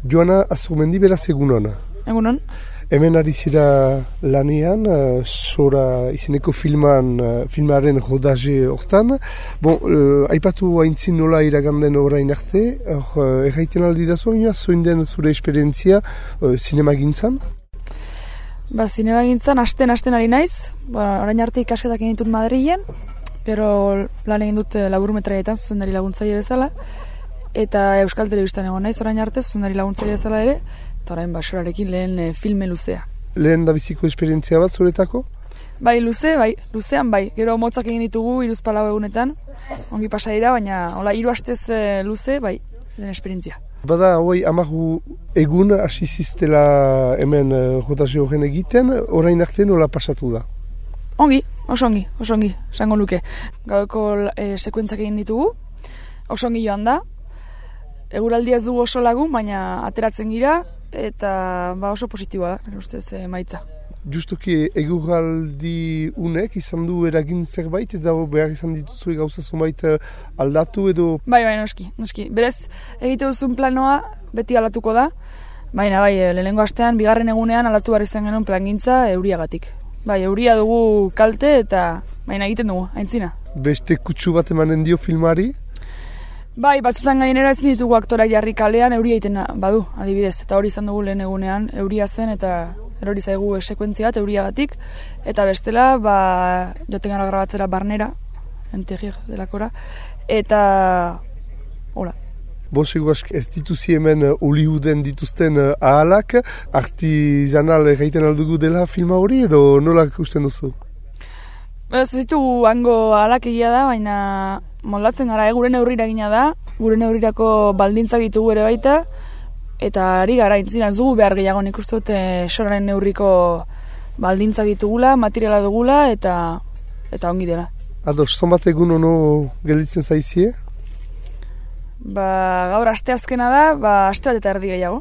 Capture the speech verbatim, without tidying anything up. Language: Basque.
Joana Azurmendi, beraz egunon. Egunon. Hemen ari zira lanean, uh, Sora izeneko filman, uh, filmaren rodaje hortan. Bon, uh, aipatu haintzin nola iraganden orain arte, uh, erraiten aldi da zoin, zoin den zure esperientzia uh, sinema gintzan? Ba, sinema gintzan, asten, asten ari naiz. Ba, orain arte ikasketak egin dut Madrilen, gero lan egin dut laburmetraietan, zuzendari laguntzaile bezala, eta Euskal Telebistan egon naiz orain arte, zuzendari laguntzaile bezala ere, eta orain Sorarekin lehen e, filme luzea. Lehen da biziko esperientzia bat zuretako? Bai, luze, bai, luzean bai. Gero motzak egin ditugu, hiruzpalau egunetan, ongi pasa dira, baina hola hiru astez e, luze, bai, lehen esperientzia. Bada, hoi, amaru egun hasi ziztela hemen uh, rodaje horren egiten, orain arte nola pasatu da? Ongi, oso ongi, oso ongi, esango luke. Gaueko e, sekuentzak egin ditugu, oso ongi joan da. Eguraldia ez dugu oso lagun, baina ateratzen gira, eta ba, oso positiboa da, nire ustez e, maitza. Justuki eguraldi unek izan du eragin zerbait, eta behar izan dituzue gauza zonbait aldatu edo... Bai, bai, noski, noski. Berez, egite duzun planoa beti aldatuko da, baina bai, lehenengo astean, bigarren egunean aldatu behar izan genuen plangintza euriagatik. Bai, euria dugu kalte eta baina egiten dugu, aintzina. Beste kutsu bat emanen dio filmari? Bai, batzutan gainera ezin ditugu aktorak jarri kalean euria egiten badu, adibidez. Eta hori izan dugu lehen egunean, euria zen eta erori zaigu sekuentzia bat euriagatik. Eta bestela, ba, joten gara grabatzera barnera, entegir delakora, eta hola. Bosego ez dituzi hemen Hollyooden dituzten ahalak, artizanal egiten aldugu dela filma hori edo nola ikusten duzu? Ez ditugu hango ahalak egia da, baina moldatzen gara, eh? Gure neurrira gina da, gure neurrirako baldintzak ditugu ere baita, eta ari gara, intzina ez dugu behar gehiago, nik uste dute Soraren neurriko baldintzak ditugula, materiala dugula, eta eta ongi dela. Ados, zonbat egun ono gelditzen zaizie? Ba, gaur asteazkena da, ba, aste bat eta erdi gehiago.